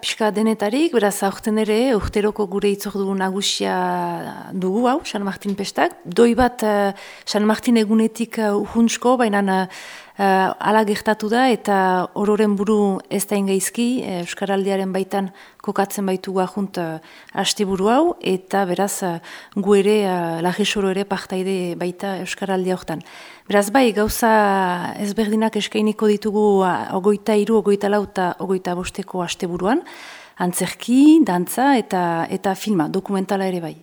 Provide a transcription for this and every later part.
pixka denetarik, beraz aurten ere, urteroko gure itzordu nagusia dugu hau, San Martin pestak. Doi bat San Martin egunetik uhuntzko, baina ala gertatu da eta ororen buru ez da ingaizki, Euskaraldiaren baitan kokatzen baitugu ahunt asteburu hau, eta beraz gu ere, lagesoro ere partaide baita Euskaraldia hortan. Beraz bai, gauza ezberdinak eskainiko ditugu 23, 24 eta 25 asteburuan, antzerki, dantza eta filma, dokumentala ere bai.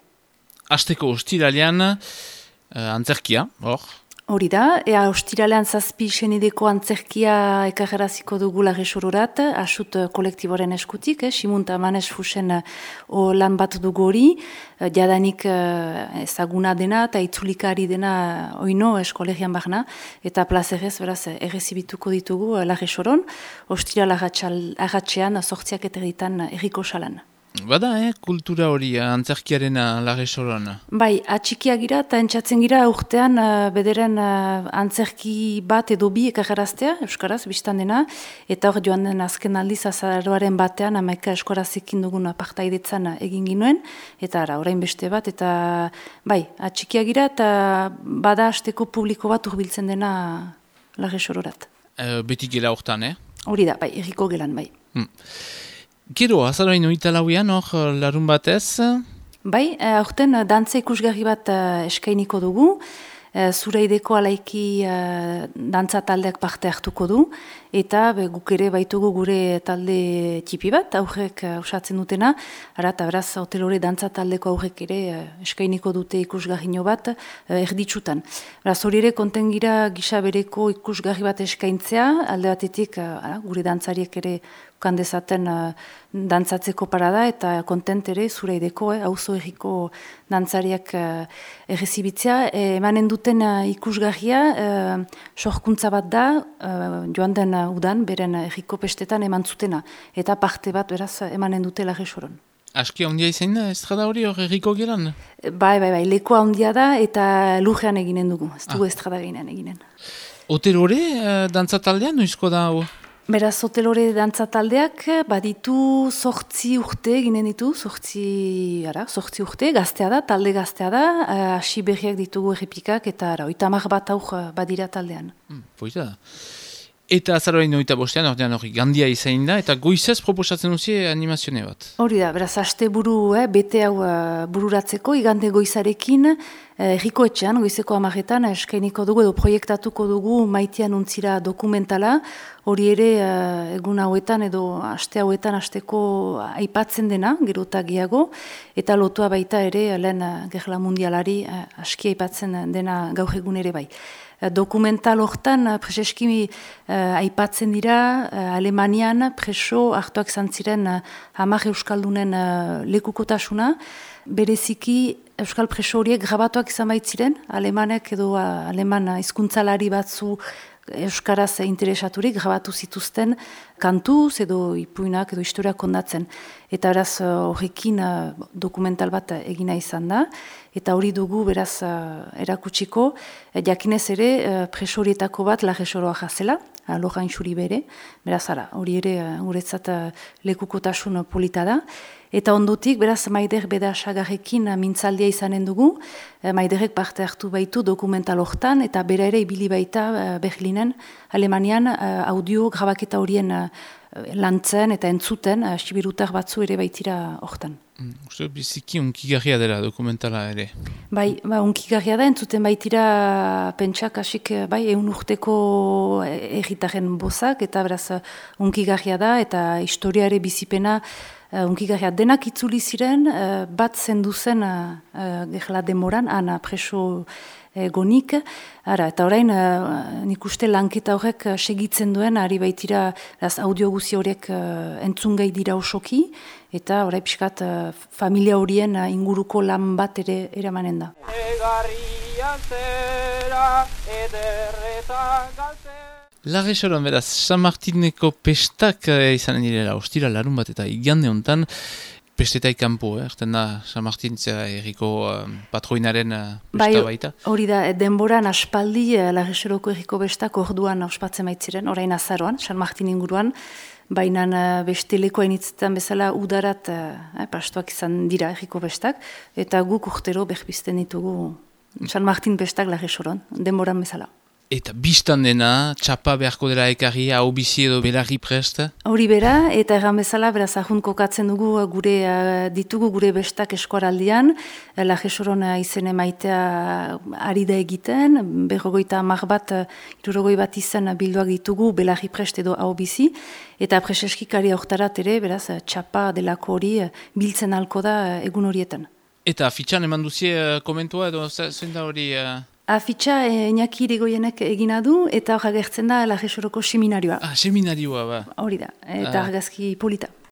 Asteko ostiralean antzerkia, hor? Hori da, ostiralean 7 senideko antzerkia ekarraziko dugu lagesororat, asut kolektiboren eskutik, Simunta Manes Fusen lan bat dugu hori, jadanik ezaguna dena eta itzulikari dena oino eskolegian barna, eta plazerez, beraz, errezibituko ditugu lagesoron, ostiral agatxean, 8 eterritan erriko salan. Bada, kultura hori antzerkiaren lagesoron? Bai, atxikia gira eta entzatzen gira urtean bederen antzerki bat edo bi ekarraztea, Euskaraz, biztan dena, eta hor joan den azken aldiz azaroaren batean, 11 Euskarazekin dugun partaidetzan egin ginuen, eta ara, orain beste bat, eta bai, atxikia gira eta bada hasteko publiko bat urbiltzen dena lagesororat. Beti gela hortan, Hori da, bai, erriko gelan, bai. Gero, azaroain oita lauian, hor larun batez? Bai, aurten dantza ikusgarri bat eskainiko dugu, Zureideko alaiki dantza taldeak parte hartuko du, eta guk ere baitugu gure talde txipi bat, aurrek osatzen dutena, eta beraz, hotelore dantza taldeko aurrek ere eskainiko dute ikusgarrino bat erditsutan. Beraz, hori ere konten gira gisa bereko ikusgarri bat eskaintzea, alde batetik gure dantzariek ere kandezaten dantzatzeko parada eta kontent ere Zureideko, auzo erriko dantzariak errezibitzea. Emanen duten ikusgarria, sorkuntza bat da, joan den udan, beren erriko pestetan eman zutena, eta parte bat beraz emanen dute lagesoron. Aski handia izan da, estrada hori hor erriko gelan? Bai, lekoa handia da eta lujean eginen dugu, ez dugu estrada ginen eginen. Hotelore dantzataldean, noizko da hau? Beraz, hotelore dantza taldeak baditu 8 urte ginen ditu, 8 urte, gaztea da, talde gaztea da, hasi berriak ditugu errepikak eta 30 bat auk badira taldean. Poita da. Eta azaroain 25, ordean hori gandia izain da, eta goizez proposatzen duzie animazione bat. Hori da, beraz, aste buru, bete hau bururatzeko, igande goizarekin, erriko etxean, goizeko 10etan, eskainiko dugu edo proiektatuko dugu Maitean untzira dokumentala, hori ere egun hauetan edo aste hauetan asteko aipatzen dena, gero eta gehiago, eta lotua baita ere lehen gerla mundialari aski aipatzen dena gaur egun ere bai. Dokumental hortan preseski aipatzen dira Alemanian preso hartuak zantziren 10 euskaldunen lekukotasuna, bereziki euskal preso horiek grabatuak izan baitziren, alemanek edo aleman hizkuntzalari batzu euskaraz interesaturik grabatu zituzten kantuz edo ipuinak edo historiak kondatzen. Eta beraz horrekin dokumental bat egina izan da, eta hori dugu beraz erakutsiko, jakinez ere preso horietako bat lagesoroa jazela, Lojain Xuri bere, beraz hori ere guretzat lekukotasun polita da. Eta ondotik, beraz, Maider Bedasagarrekin mintzaldia izanen dugu, Maiderrek parte hartu baitu dokumental hortan, eta bera ere ibili baita Berlinen, Alemanian, audio grabaketa horien lantzen eta entzuten, sibirutar batzu ere baitira hortan. Uste, biziki unkigarria dela dokumentala ere. Bai, unkigarria da, entzuten baitira pentsak hasik, bai, 100 urteko erritaren bozak, eta beraz unkigarria da, eta historiare bizipena unkigarria denak itzuli ziren, bat zendu zen gerla demoran, ana preso gonik, eta orain nik uste lanketa horrek segitzen duen, ari baitira audio guzi horiek entzungai dira osoki, eta orain pixkat familia horien inguruko lan bat ere eramanen da. Lagesoron, beraz, San Martineko pestak izanen direla, ostira larun bat eta igande hontan, pestetai kanpo, erten da San Martintzea erriko patroinaren pesta baita? Hori da, denboran aspaldi Lagesoroko erriko bestak orduan ospatzen baitziren, orain azaroan, San Martin inguruan, baina beste lekoa initzetan bezala udarat pastoak izan dira erriko bestak, eta guk urtero berbizten ditugu San Martin bestak Larresoron, denboran bezala. Eta biztan dena, txapa beharko dela ekarri, hau bizi edo belarri prest? Hori bera, eta erran bezala, beraz ahun kokatzen dugu ditugu gure bestak eskuaraldian, Larresoron izen emaitea ari da egiten, 50 bat, 60 bat izan bilduak ditugu belarri prest edo hau bizi, eta preseskikari aurtarat ere, beraz, txapa delako hori biltzen halko da egun horietan. Eta fitxan eman duzie komentua edo zein da hori... Afitxa Iñaki Irigoienek egina du, eta hor agertzen da Larresoroko seminarioa. Seminarioa, ba. Hori da, eta argazki polita.